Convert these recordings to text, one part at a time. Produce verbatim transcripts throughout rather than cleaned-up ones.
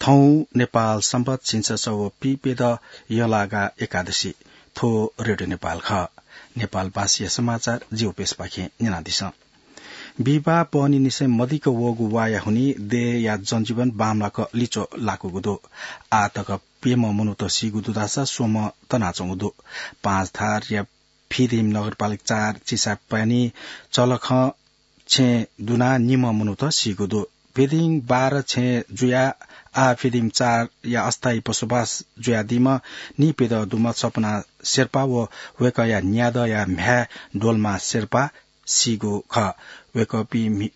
थौं नेपाल संवत् झिंछसः व पीप्यदँ यःलागा एकादशी। थ्व रेडियो नेपाल खः। नेपालभाषाया समाचार जिगु प्रेसपाखें न्यनादिसँ। बिहिबाः बहनी निसें मदिक्क वःगु वाःया हुनिं देय्‌या जनजीवन बांमलाक लिच्वः लाकूगु दु। आः तक प्यम्ह मनूत सीगु दु धाःसा स्वम्ह तनाच्वंगु दु। पाँचथरया फिदिम नगरपालिका चार चिसापानी चलखं छेँ दुनाः निम्ह मनूत सीगु दु। फिदिम बाह्र छेँ जुयाः आः फिदिम चारया अस्थायी बसोबास जुयादीम्ह नीप्यदँ दुम्ह सपना शेर्पा व वय्‌कःया न्यादँया म्ह्याय् डोल्मा शेर्पा सीगु खः। वय्‌कःपिं मि-,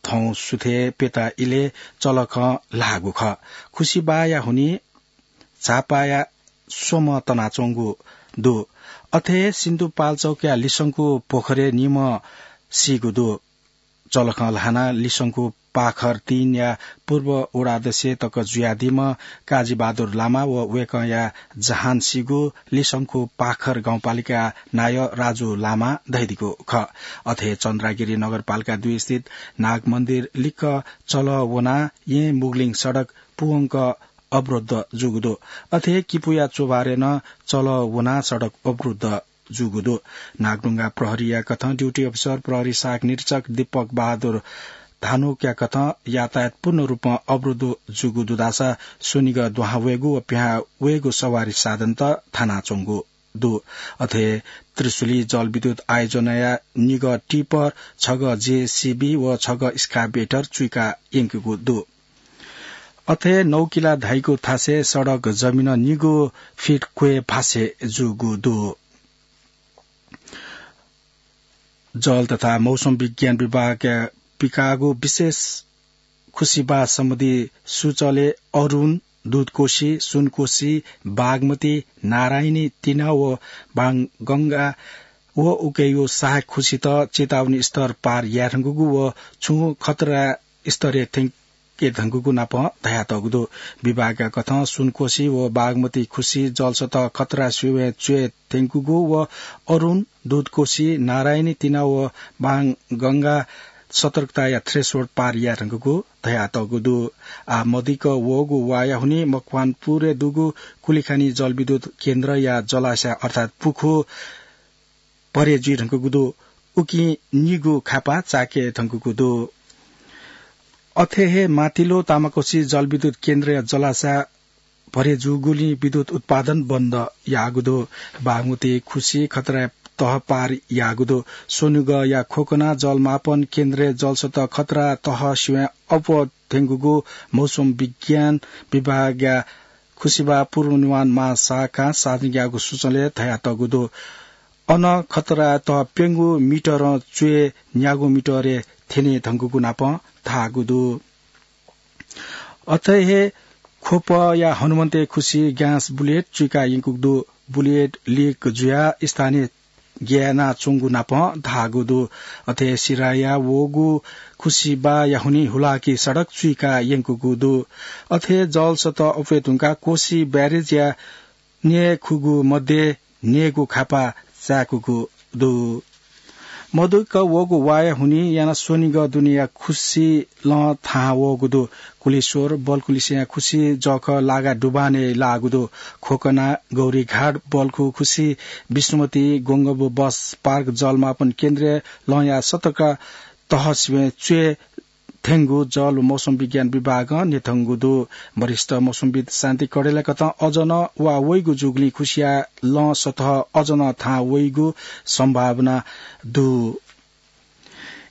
थौं सुथय् प्यता इलय् चलखं ल्हाःगु खः। खुसिबाःया हुनिं झापाया स्वम्ह तनाच्वंगु दु। अथे हे सिन्धुपाल्चोकया लिसंखु पोखरय् निम्ह सीगु दु। चलखं ल्हानाः लिसंखु पाखर तीनया पूर्व वडा अध्यक्ष तक जुयादीम्ह काजीबहादुर लामा व वय्‌कःया जहान सीगु लिसंखु पाखर गाउँपालिका नायः राजु लामां धयादीगु खः। अथे हे चन्द्रागिरी नगरपालिका दुई स्थित नागमन्दिर लिक्क चलः वनाः येँ मुगलिङ सडक पूवंक अवरुद्ध जूगु दु। अथे हे किपूया चोभारय् नं चलः वनाः सडक अवरुद्ध जूगु दु। नागढुङ्गा प्रहरीया कथं ड्युटी अफिसर प्रहरी सहायक निरीक्षक दीपक बहादुर धानुकया कथं यातायात पूर्ण रूपं अवरुद्ध जूगु दु धाःसा स्वनिगः दुहां वयेगु व पिहां वयेगु सवारी साधनत थानाच्वंगु दु। अथे त्रिशुली जलविद्युत आयोजनाया निगः टिपर, छगः जेसीबी व छगः स्काभेटर चुइका यंकूगु दु। अथे नौकिला धाइगु थासय् सडक जमिन निगू फिट क्वय् भासे जूगु दु। जल तथा मौसम विज्ञान विभागया पिकाःगु विशेष खुसिबाः सम्बन्धी सूचलय् अरुण, दुधकोशी, सुनकोशी, बागमती, नारायणी, तिना व बांगंगा व उकिया सहायक खुसित चेतावनी स्तर पार याये धुंकूगु व छुं खतरा स्तरय् थ्यंके धुंकूगु नापं धयातःगु दु। विभागया कथं सुनकोशी व बागमती खुसि जलसतह खतरा सिबें च्वये थ्यंकूगु व अरुण, दुधकोशी, नारायणी, तिना व बांगंगा सतर्कताया threshold पार याये धुंकूगु धयातःगु दु। आः मदिक्क वःगु वाःया हुनिं मकवानपुरय् दुगु कुलिखानी जलविद्युत केन्द्रया जलाशय अर्थात् पुखू भरे जुइ धुंकूगु दु। उकिं निगू खापा चाके धुंकूगु दु। अथे हे मातिलो तामाकोशी जलविद्युत केन्द्रया जलाशय भरे जूगुलिं विद्युत उत्पादन बन्द याःगु दु। बागमती खुसि खतरा तह पार याःगु दु। स्वनिगःया खोकना जलमापन केन्द्रय् जलसतह खतरा तह सिबें अप्वः थ्यंकूगु मौसम विज्ञान विभागया खुसिबाः पूर्वानुमान महाशाखां सार्वजनिक याःगु सूचनालय् धयातःगु दु। अन खतरा तह प्यंगू मिटरं च्वय् न्यागू मिटरय् थ्यने धुंकूगु नापं धाःगु दु। अथे हे ख्वपया हनुमन्ते खुसि ग्यास बुलेट चुइका यंकूगु दु। बुलेट लिक जुयाः स्थानीय ग्यानाच्वंगु नापं धाःगु दु। अथे सिराया वःगु खुसिबाःया हुनिं हुलाकी सडक चुइका यंकूगु दु। अथे जलसतह अप्वये धुंकाः कोशी ब्यारेजया न्यय्‌खुगू मध्ये न्यय्‌गू खापा चाय्‌कूगु दु। मदिक्क वःगु वाःया हुनिं यानाः स्वनिगः दुनेया खुसि लं थाहां वःगु दु। कुलेश्वर बल्खु लिसेंया खुसि जःखः लागा डुबानय् लाःगु दु। खोकना, गौरीघाट, बल्खु खुसि, विष्णुमती, गोंगबु बस पार्क जलमापन केन्द्रय् लंया सतर्क तह सिबें च्वय् थ्यंगु जल व मौसम विज्ञान विभागं न्ह्यथंगु दु। वरिष्ठ मौसमविद शान्ति कडेलया कथं अझ नं वा वइगु जूगुलिं खुसिया लं सतह अझ नं थाहां वइगु सम्भावना दु।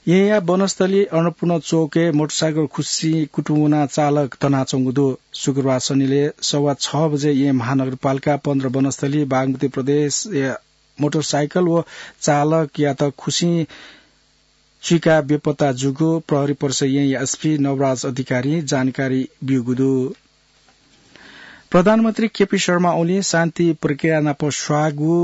येँया वनस्थली अन्नपूर्ण चोकय् मोटरसाइकल खुसि कुतुं वनाः चालक तनाच्वंगु दु। शुक्रबार सनिलय् सवा छ बजे येँ महानगरपालिका पन्ध्र वनस्थली बागमती प्रदेशया मोटरसाइकल व चालकयात खुसिं चुइकाः बेपत्ता जूगु प्रहरी परिसर येँया एसपी नवराज अधिकारीं जानकारी ब्यूगु दु। प्रधानमन्त्री केपी शर्मा ओलीं शान्ति प्रक्रिया नाप स्वाःगु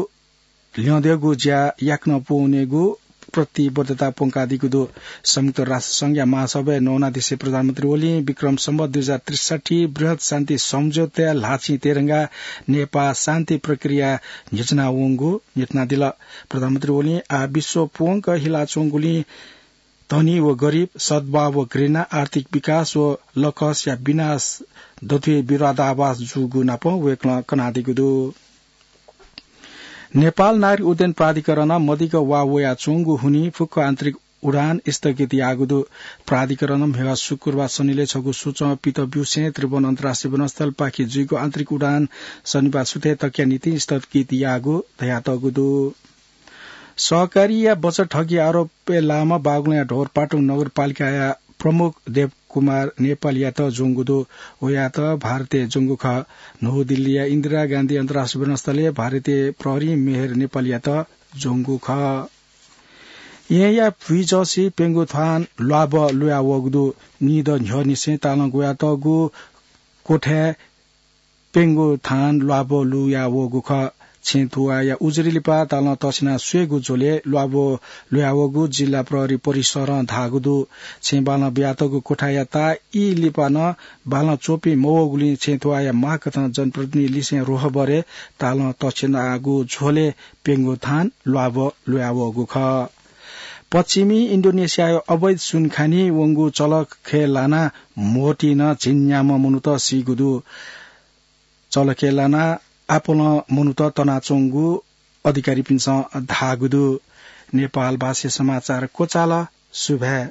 ल्यंद्यःगु ज्या याकनं पूवनेगु प्रतिबद्धता प्वंकादीगु दु। संयुक्त राष्ट्र संघया महासभाय् नवानादिसे प्रधानमन्त्री ओलीं विक्रम सम्वत दुई हजार त्रिसठी बृहत् शान्ति सम्झौताया ल्हाःचिं तयेधंकाः नेपाः शान्ति प्रक्रिया न्ह्यचना वंगु न्ह्यथनादिल। प्रधानमन्त्री ओलीं आः विश्व पूवंक हिलाच्वंगुलिं धनी व गरिब, सद्भाव व घृणा, आर्थिक विकास व लकसया विनाश दथुइ विरोधाभास जूगु नापं वय्कलं कनादीगु दु। नेपाल नागरिक उड्डयन प्राधिकरणं मदिक्क वा वयाच्वंगु हुनिं फुक्क आन्तरिक उडान स्थगित याःगु दु। प्राधिकरणं म्हेगा शुक्रबार सनिलय् छगू सूचं पित ब्यूसें त्रिभुवन अन्तर्राष्ट्रिय विमानस्थलपाखे जुइगु आन्तरिक उडान शनिबार सुथय् तकया निंतिं स्थगित याःगु धयातःगु दु। सहकारीया बचत ठगी आरोपय् लाःम्ह बागलुङया ढोरपाटुङ नगरपालिकाया प्रमुख देवकुमार नेपालयात ज्वंगु दु। वयात भारतय् ज्वंगु खः। नवदिल्लीया इन्दिरा गान्धी अन्तर्राष्ट्रिय विमानस्थलय् भारतीय प्रहरीं मेहर नेपालयात ज्वंगु खः। येँया भुइँजःसी प्यंगू थान ल्वाभः लुया वःगु दु। निदँ न्ह्यःनिसें तालं ग्वयातःगु क्वथाय् प्यंगू थान ल्वाभः लुया वःगु खः। छेँ थुवाःया उजुरी लिपा तालं तछ्याना स्वयेगु झ्वलय् ल्वाभः लुया वःगु जिल्ला प्रहरी परिसरं धाःगु दु। छेँ बालं बियातःगु क्वथाया ताः ई लिपा नं बालं च्वपि मवःगुलिं छेँ थुवाःया माग कथं जनप्रतिनिधि लिसें रोहबरय् तालं तछ्यानागु झ्वलय् प्यंगू थान ल्वाभः लुया वःगु खः। पश्चिमी इन्डोनेसियाया अवैध सुनखानी वंगु चलखय् लानाः म्होतिं झिंन्याम्ह मनूत सीगु दु। चलखय् लानाः आपालं मनूत तनाच्वंगु अधिकारीपिन्सं धाःगु दु। नेपाल भाषाय् समाचार क्वचाल। सुभाय्।